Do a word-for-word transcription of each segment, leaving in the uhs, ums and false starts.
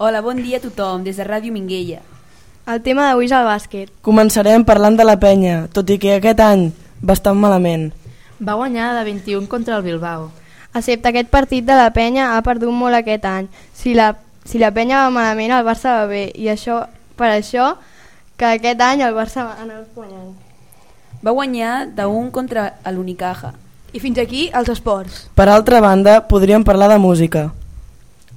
Hola, bon dia a tothom, des de Ràdio Minguella. El tema d'avui és el bàsquet. Començarem parlant de la Penya, tot i que aquest any bastant malament. Va guanyar de vint-i-un contra el Bilbao. Excepte aquest partit de la Penya ha perdut molt aquest any. Si la, si la Penya va malament, el Barça va bé, i això per això que aquest any el Barça va anar guanyant. Va guanyar d'un contra l'Unicaja. I fins aquí els esports. Per altra banda, podríem parlar de música.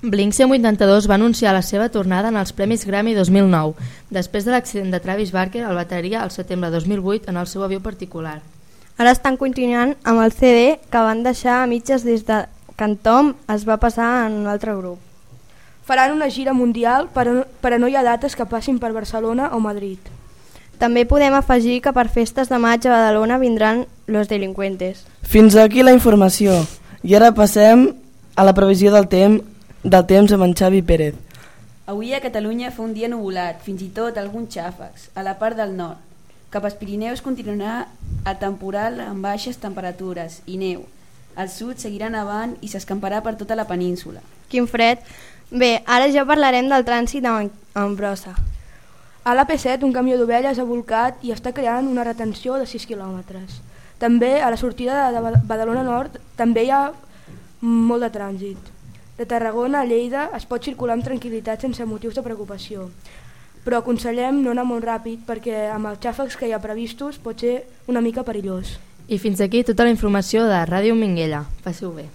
Blink cent vuitanta-dos va anunciar la seva tornada en els Premis Grammy dos mil nou, després de l'accident de Travis Barker al bateria al setembre de dos mil vuit en el seu avió particular. Ara estan continuant amb el C D que van deixar a mitges des de que en Tom es va passar en un altre grup. Faran una gira mundial, però, però no hi ha dates que passin per Barcelona o Madrid. També podem afegir que per festes de maig a Badalona vindran Los Delincuentes. Fins aquí la informació. I ara passem a la previsió del temps del temps amb en Xavi Pérez. Avui a Catalunya fa un dia nuvolat, fins i tot alguns xàfecs, a la part del nord. Cap als Pirineus continuarà a temporal amb baixes temperatures i neu. Al sud seguirà nevant i s'escamparà per tota la península. Quin fred! Bé, ara ja parlarem del trànsit en brossa. A l'A P set un camió d'ovelles ha volcat i està creant una retenció de sis quilòmetres. També a la sortida de Badalona Nord també hi ha molt de trànsit. De Tarragona a Lleida es pot circular amb tranquil·litat sense motius de preocupació, però aconsellem no anar molt ràpid perquè amb els xàfecs que hi ha previstos pot ser una mica perillós. I fins aquí tota la informació de Ràdio Minguella. Passeu bé.